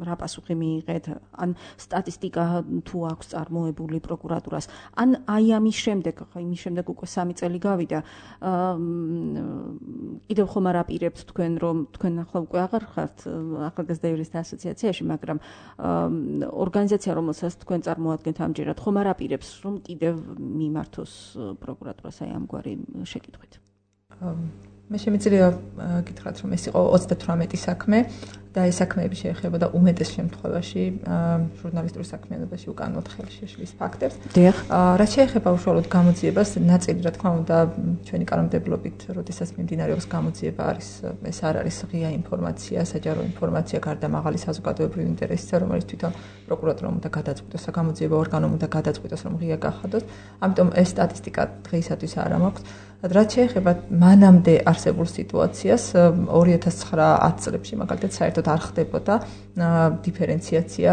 რა პასუხი მიიღეთ ან სტატისტიკა თუ აქვს წარმოებული პროკურატურას ან აი ამის შემდეგ ხო იმის შემდეგ უკვე სამი წელი გავიდა კიდევ ხომ არ აპირებთ თქვენ რომ თქვენ ახლა უკვე აღარ ხართ ახალგაზრდა იურისტთა ასოციაციაში მაგრამ ორგანიზაცია რომელსაც თქვენ წარმოადგენთ ამჯერად ხომ არ აპირებს რომ კიდევ მიმართოს პროკურატურას აი ამგვარი შეკითხვით მე შემიძლია გითხრათ რომ ეს იყო ოცდათვრამეტი საქმე და ეს საქმეები შეეხებოდა უმეტეს შემთხვევაში ჟურნალისტური საქმიანობაში უკანონოდ ხელშეშლის ფაქტებს. რაც შეეხება უშუალოდ გამოძიებას, ნაწილი რა თქმა უნდა ჩვენი კანონმდებლობით, როდესაც მიმდინარეობს გამოძიება არის ეს არ არის ღია ინფორმაცია, საჯარო ინფორმაცია გარდა მაღალი საზოგადოებრივი ინტერესისა, რომელიც თვითონ პროკურატურამ უნდა გადაწყვიტოს, საგამოძიებო ორგანომ უნდა გადაწყვიტოს, რომ ღია გახადოს. ამიტომ ეს სტატისტიკა დღეისათვის არ მაქვს. რაც შეეხება მანამდე არსებულ სიტუაციას ორი ათას ცხრა ათ წლებში მაგალითად საერთოდ არ ხდებოდა დიფერენციაცია,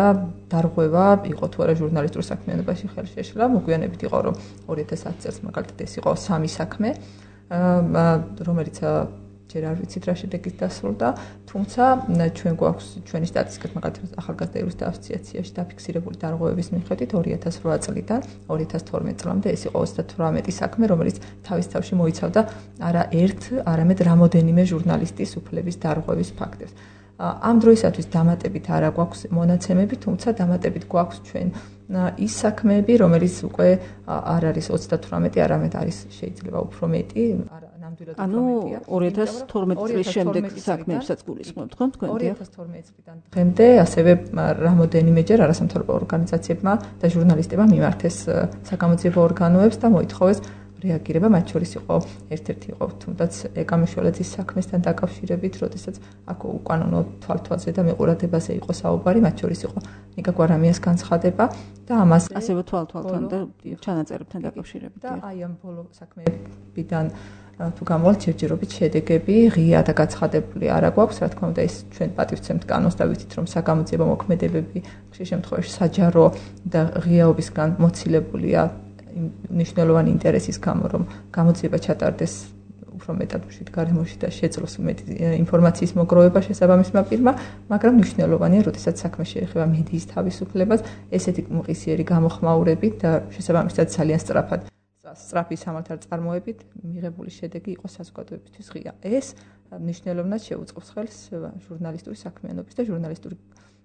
დარღვევა, იყო თუ არა ჟურნალისტურ საქმიანობაში ხელშეშლა, მოგვიანებით იყო რომ ორი ათას ათ წელს მაგალითად ეს იყო სამი საქმე, რომელიც ჯერ არ ვიცით რა შედეგით დასრულდა, თუმცა ჩვენ გვაქვს ჩვენი სტატისტიკით მაგალითად ახალგაზრდა იურისტთა ასოციაციაში დაფიქსირებული დარღვევების მიხედვით ორი ათას რვა წლიდან ორი ათას თორმეტ წლამდე ეს იყო ოცდათვრამეტი საქმე, რომელიც თავის თავში მოიცავდა არა ერთ, არამედ რამოდენიმე ჟურნალისტის უფლების დარღვევის ფაქტებს. ამ დროისათვის დამატებით არა გვაქვს მონაცემები, თუმცა დამატებით გვაქვს ჩვენ ის საქმეები, რომელიც უკვე არ არის ოცდათვრამეტი, არამედ არის შეიძლება უფრო მეტი, არა ნამდვილად უფრო მეტია. ანუ ორი ათას თორმეტი წლის შემდეგ საქმეებსაც გულისხმობთ, ხო, თქვენ? ორი ათას თორმეტი წლიდან დღემდე ასევე რამოდენიმეჯერ არასამთავრობო ორგანიზაციებმა და ჟურნალისტებმა მიმართეს საგამოძიებო ორგანოებს და მოითხოვეს რეაგირება, მათ შორის იყო ერთ-ერთი იყო თუნდაც ეკამიშველეთის საქმესთან დაკავშირებით, როდესაც აქ უკანონო თვალთვალზე და მეყურადებაზე იყო საუბარი, მათ შორის იყო ნიკა გვარამიას განცხადება და ამას ასევე თვალთვალთან და ჩანაწერებთან დაკავშირებით და აი ამ ბოლო საქმეებიდან თუ გამოვალ ჯერჯერობით შედეგები ღია და გაცხადებული არ აქვს, რა თქმა უნდა, ეს ჩვენ პატივცემთ კანონს და ვიცით, რომ საგამოძიებო მოქმედებები ხშირ შემთხვევაში საჯარო და ღიაობისგან მოცილებულია მნიშვნელოვანი ინტერესის გამო, რომ გამოძიება ჩატარდეს უფრო მეტად მშვიდ გარემოში და შეძლოს მეტი ინფორმაციის მოგროვება შესაბამისმა პირმა, მაგრამ მნიშვნელოვანია, როდესაც საქმე შეეხება მედიის თავისუფლებას, ესეთი მყისიერი გამოხმაურებით და შესაბამისად ძალიან სწრაფად სწრაფი სამართალწარმოებით მიღებული შედეგი იყო საზოგადოებისთვის ღია. ეს მნიშვნელოვნად შეუწყობს ხელს ჟურნალისტური საქმიანობის და ჟურნალისტური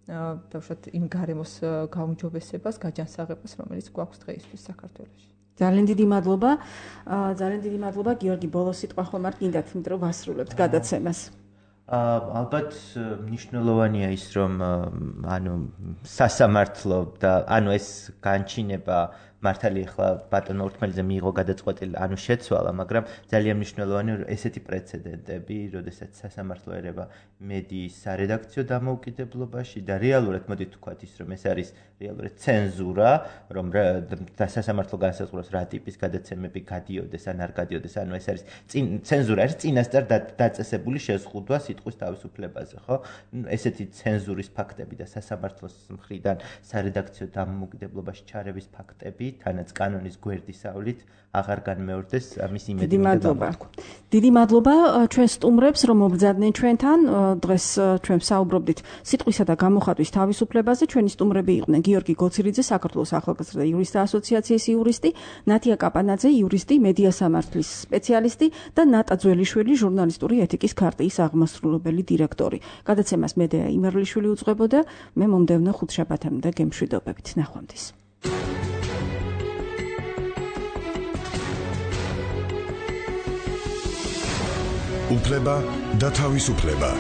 დავუშვათ იმ გარემოს გაუმჯობესებას, გაჯანსაღებას, რომელიც გვაქვს დღეისთვის საქართველოში. ძალიან დიდი მადლობა. ძალიან დიდი მადლობა გიორგი, ბოლოს სიტყვა ხომ არ გინდათ, იმიტომ რომ ვასრულებთ გადაცემას. ალბათ მნიშვნელოვანია ის, რომ ანუ სასამართლო და ანუ ეს განჩინება მართალი ახლა ბატონო ურთმელიძე მიიღო გადაწყვეტილი, ანუ შეცვალა, მაგრამ ძალიან მნიშვნელოვანია ესეთი პრეცედენტები, როდესაც სასამართლო ერევა მედიის სარედაქციო დამოუკიდებლობაში და რეალურად მოდით ვთქვათ ის, რომ ეს არის რეალურად ცენზურა, რომ სასამართლო განსაზღვროს რა ტიპის გადაცემები გადიოდეს ან არ გადიოდეს, ანუ ეს არის ცენზურა, არის წინასწარ დაწესებული შეზღუდვა სიტყვის თავისუფლებაზე, ხო? ესეთი ცენზურის ფაქტები და სასამართლოს მხრიდან სარედაქციო დამოუკიდებლობაში ჩარევის ფაქტები თანაც კანონის გვერდისავლით აღარ განმეორდეს ამის იმედი. დიდი მადლობა. დიდი მადლობა ჩვენ სტუმრებს, რომ მობრძადნენ ჩვენთან. დღეს ჩვენ საუბრობდით სიტყვისა და გამოხატვის თავისუფლებაზე. ჩვენი სტუმრები იყვნენ გიორგი გოცირიძე, საქართველოს ახალგაზრდა იურისტთა ასოციაციის იურისტი, ნათია კაპანაძე, იურისტი, მედია სამართლის სპეციალისტი და ნატა ძველიშვილი, ჟურნალისტური ეთიკის ქარტიის აღმასრულებელი დირექტორი. გადაცემას მედეა იმერლიშვილი უძღვებოდა. მე მომდევნო ხუთშაბათამდე გემშვიდობებით. ნახვამდის. უფლება და თავისუფლება.